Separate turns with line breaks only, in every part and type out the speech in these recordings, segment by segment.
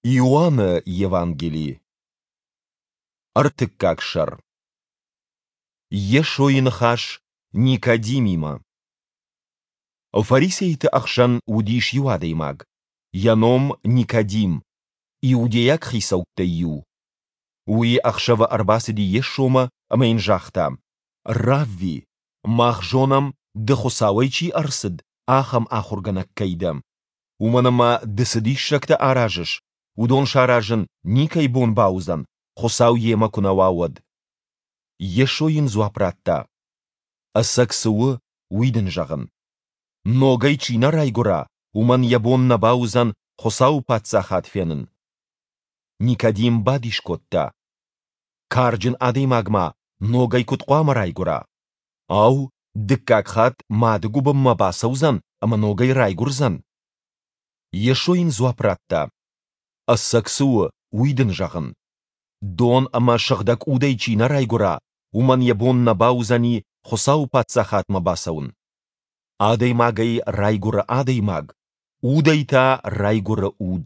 Иоанны Евангели. Ӕртыккаг сӕр. Йесойы ныхас Никодимимӕ. Фарисейты ӕхсӕн уыдис иу адӕймаг, йӕ ном Никодим, иудейаг хицӕуттӕй иу. Уый ӕхсӕвы ӕрбацыди Йесомӕ ӕмӕ йын загъта: Равви, мах зонӕм, ды Хуыцауӕй чи ӕрцыд, ахӕм ахуыргӕнӕг кӕй дӕ. Уымӕн ӕмӕ ды цы диссӕгтӕ аразыс, уыдон саразын никӕй бон бауыдзӕн, Хуыцау йемӕ куы нӕ уа, уӕд. Йесо йын дзуапп радта: Ӕцӕг цы у, уый дын зӕгъын. Ногӕй чи нӕ райгуыра, уымӕн йӕ бон нӕ бауыдзӕн Хуыцауы Паддзахад фенын. Никодим бадис кодта: Карджын адӕймаг ма ногӕй куыд хъуамӕ райгуыра? Ау, дыккаг хатт мады гуыбынмӕ бацӕудзӕн ӕмӕ ногӕй райгуырдзӕн? Йесо йын дзуапп радта: Ӕцӕг цы у, уый дын зӕгъын. Дон ӕмӕ Сыгъдӕг Удӕй чи нӕ райгуыра, уымӕн йӕ бон нӕ бауыдзӕни Хуыцауы Паддзахадмӕ бацӕуын. Адӕймагӕй райгуыры адӕймаг, удӕй та райгуыры уд.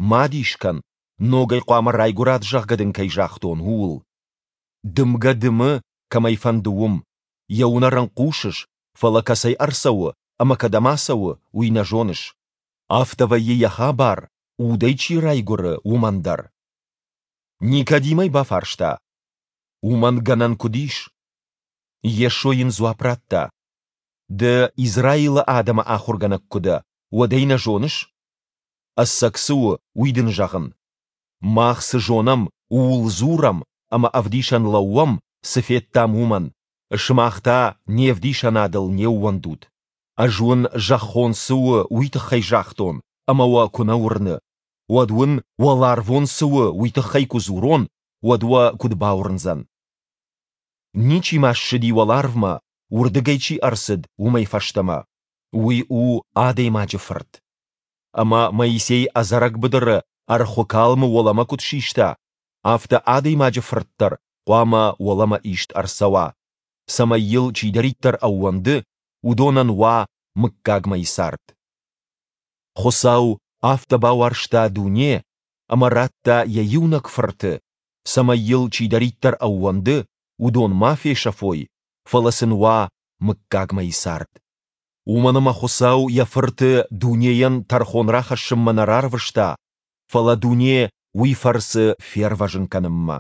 Ма дис кӕн, ногӕй хъуамӕ райгуырат, зӕгъгӕ дын кӕй загътон, ууыл. Дымгӕ дымы, кӕм ӕй фӕнды, уым. Йӕ уынӕр ын хъусыс, фӕлӕ кӕцӕй ӕрцӕуы ӕмӕ кӕдӕм ацӕуы, уый нӕ зоныс. Афтӕ вӕййы йӕ хабар, удӕй чи райгуыры, уымӕн дӕр. Никодим ӕй бафарста: Уымӕн гӕнӕн куыд ис? Йесо йын дзуапп радта: Ды Израилы адӕмы ахуыргӕнӕг куы дӕ, уӕд ӕй нӕ зоныс? Ӕцӕг цы у, уый дын зӕгъын. Мах цы зонӕм, ууыл дзурӕм ӕмӕ ӕвдисӕн лӕууӕм, цы федтам, уымӕн, сымах та не вдисӕнадыл не ууӕндут. Ӕз уын, зӕххон цы у, уый тыххӕй загътон, ӕмӕ уӕ куы нӕ уырны, уӕд уын, уӕларвон цы у, уый тыххӕй куы дзурон, уӕд уӕ куыд бауырндзӕн? Ничи ма ссыди уӕларвмӕ, уырдыгӕй чи ӕрцыд, уымӕй фӕстӕмӕ. Уый у Адӕймаджы Фырт. Ӕмӕ Моисей ӕдзӕрӕг быдыры ӕрхуы калмы уӕлӕмӕ куыд систа, афтӕ Адӕймаджы Фырт дӕр хъуамӕ уӕлӕмӕ ист ӕрцӕуа, цӕмӕй йыл чидӕриддӕр ӕууӕнды, уыдонӕн уа мыггагмӕйы цард. Хуыцау афтӕ бауарзта дуне, ӕмӕ радта йӕ иунӕг Фырты, цӕмӕй йыл чидӕриддӕр ӕууӕнды, уыдон ма фесӕфой, фӕлӕ сын уа мыггагмӕйы цард. Уымӕн ӕмӕ Хуыцау йӕ Фырты дунейӕн тӕрхон рахӕссынмӕ нӕ рарвыста, фӕлӕ дуне уый фӕрцы фервӕзын кӕнынмӕ.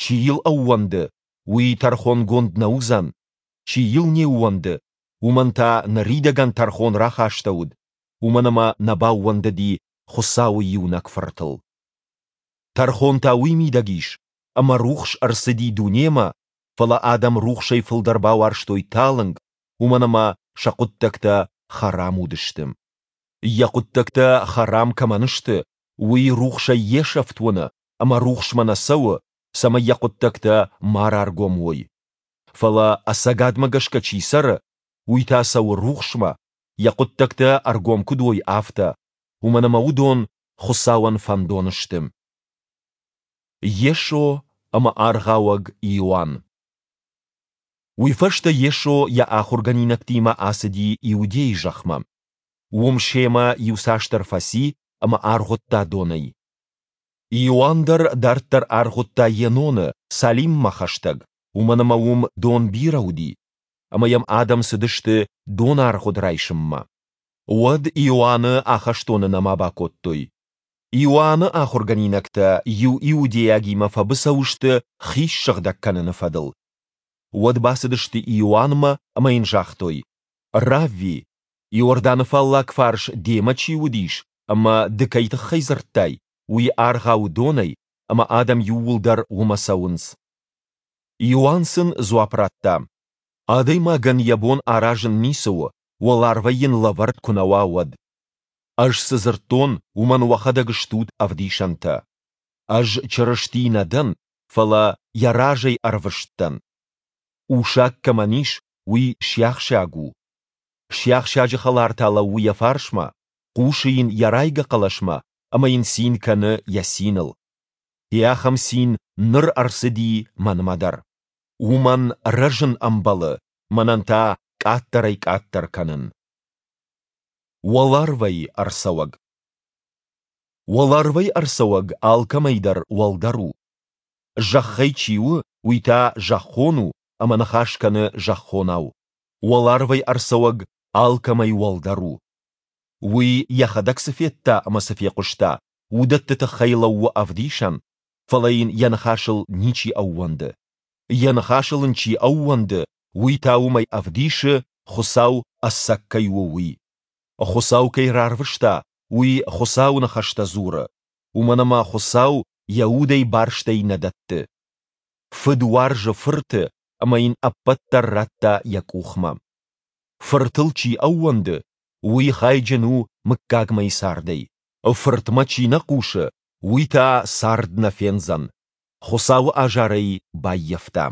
Чи йыл ӕууӕнды, уый тӕрхонгонд нӕ уыдзӕн, чи йыл не ууӕнды, уымӕн та ныридӕгӕн тӕрхон рахастӕуыд, уымӕн ӕмӕ нӕ баууӕндыди Хуыцауы иунӕг Фыртыл. Тӕрхон та уый мидӕг ис, ӕмӕ рухс ӕрцыди дунемӕ, фӕлӕ адӕм рухсӕй фылдӕр бауарзтой талынг, уымӕн ӕмӕ сӕ хъуыддӕгтӕ хӕрам уыдысты. Йӕ хъуыддӕгтӕ хӕрам кӕмӕн сты, уый рухсӕй йе сӕфт уыны ӕмӕ рухсмӕ нӕ цӕуы, цӕмӕй йӕ хъуыддӕгтӕ ма раргом уой. Фӕлӕ ӕцӕгадмӕ гӕсгӕ чи цӕры, уый та цӕуы рухсмӕ, йӕ хъуыддӕгтӕ ӕргом куыд уой, афтӕ, уымӕн ӕмӕ уыдон Хуыцауӕн фӕндон сты. Йесо ӕмӕ Аргъауӕг Иоанн. Уый фӕстӕ Йесо йӕ ахуыргӕнинӕгтимӕ ацыди Иудейы зӕхмӕ. Уым семӕ иуцасдӕр фӕци ӕмӕ аргъуыдта донӕй. Иоанн дӕр дарддӕр аргъуыдта Еноны, Салиммӕ хӕстӕг, уымӕн ӕмӕ уым дон бирӕ уыди, ӕмӕ йӕм адӕм цыдысты донаргъуыд райсынмӕ. Уӕд Иоанны ахӕстоны нӕма бакодтой. Иоанны ахуыргӕнинӕгтӕ иу иудейагимӕ фӕбыцӕу сты хи ссыгъдӕг кӕныны фӕдыл. Уӕд бацыдысты Иоаннмӕ ӕмӕ йын загътой: Равви, Иорданы фаллаг фарс демӕ чи уыдис ӕмӕ ды кӕй тыххӕй дзырдтай, уый аргъауы донӕй, ӕмӕ адӕм иууылдӕр уымӕ цӕуынц. Иоанн сын дзуапп радта: Адӕймагӕн йӕ бон аразын ницы у, уӕларвӕй йын лӕвӕрд куы нӕ уа, уӕд. Ӕз цы дзырдтон, уымӕн уӕхӕдӕг стут ӕвдисӕнтӕ. Ӕз Чырысти нӕ дӕн, фӕлӕ йӕ разӕй ӕрвыст дӕн. Усаг кӕмӕн ис, уый сиахсаг у. Сиахсаджы хӕлар та лӕууы йӕ фарсмӕ, хъусы йын йӕ райгӕ хъӕлӕсмӕ ӕмӕ йын цин кӕны йӕ циныл. Йӕ ахӕм цин ныр ӕрцыди мӕнмӕ дӕр. Уымӕн рӕзын ӕмбӕлы, мӕнӕн та къаддӕрӕй-къаддӕр кӕнын. Уӕларвӕй ӕрцӕуӕг. Уӕларвӕй ӕрцӕуӕг алкӕмӕй дӕр уӕлдӕр у. Зӕххӕй чи у, уый та зӕххон у ӕмӕ ныхас кӕны зӕххонау. Уӕларвӕй ӕрцӕуӕг алкӕмӕй уӕлдӕр у. Уый йӕхӕдӕг цы федта ӕмӕ цы фехъуыста, уыдӕтты тыххӕй лӕууы ӕвдисӕн, фӕлӕ йын йӕ ныхасыл ничи ӕууӕнды. Йӕ ныхасыл ын чи ӕууӕнды, уый та уымӕй ӕвдисы, Хуыцау ӕцӕг кӕй у, уый. Хуыцау кӕй рарвыста, уый Хуыцауы ныхӕстӕ дзуры, уымӕн ӕмӕ Хуыцау йӕ Удӕй барстӕй нӕ дӕтты. Фыд уарзы Фырты ӕмӕ йын ӕппӕт дӕр радта йӕ къухмӕ. Фыртыл чи ӕууӕнды, уый хайджын у мыггагмӕйы цардӕй. Фыртмӕ чи нӕ хъусы, уый та цард нӕ фендзӕн, Хуыцауы азар ӕй баййӕфта.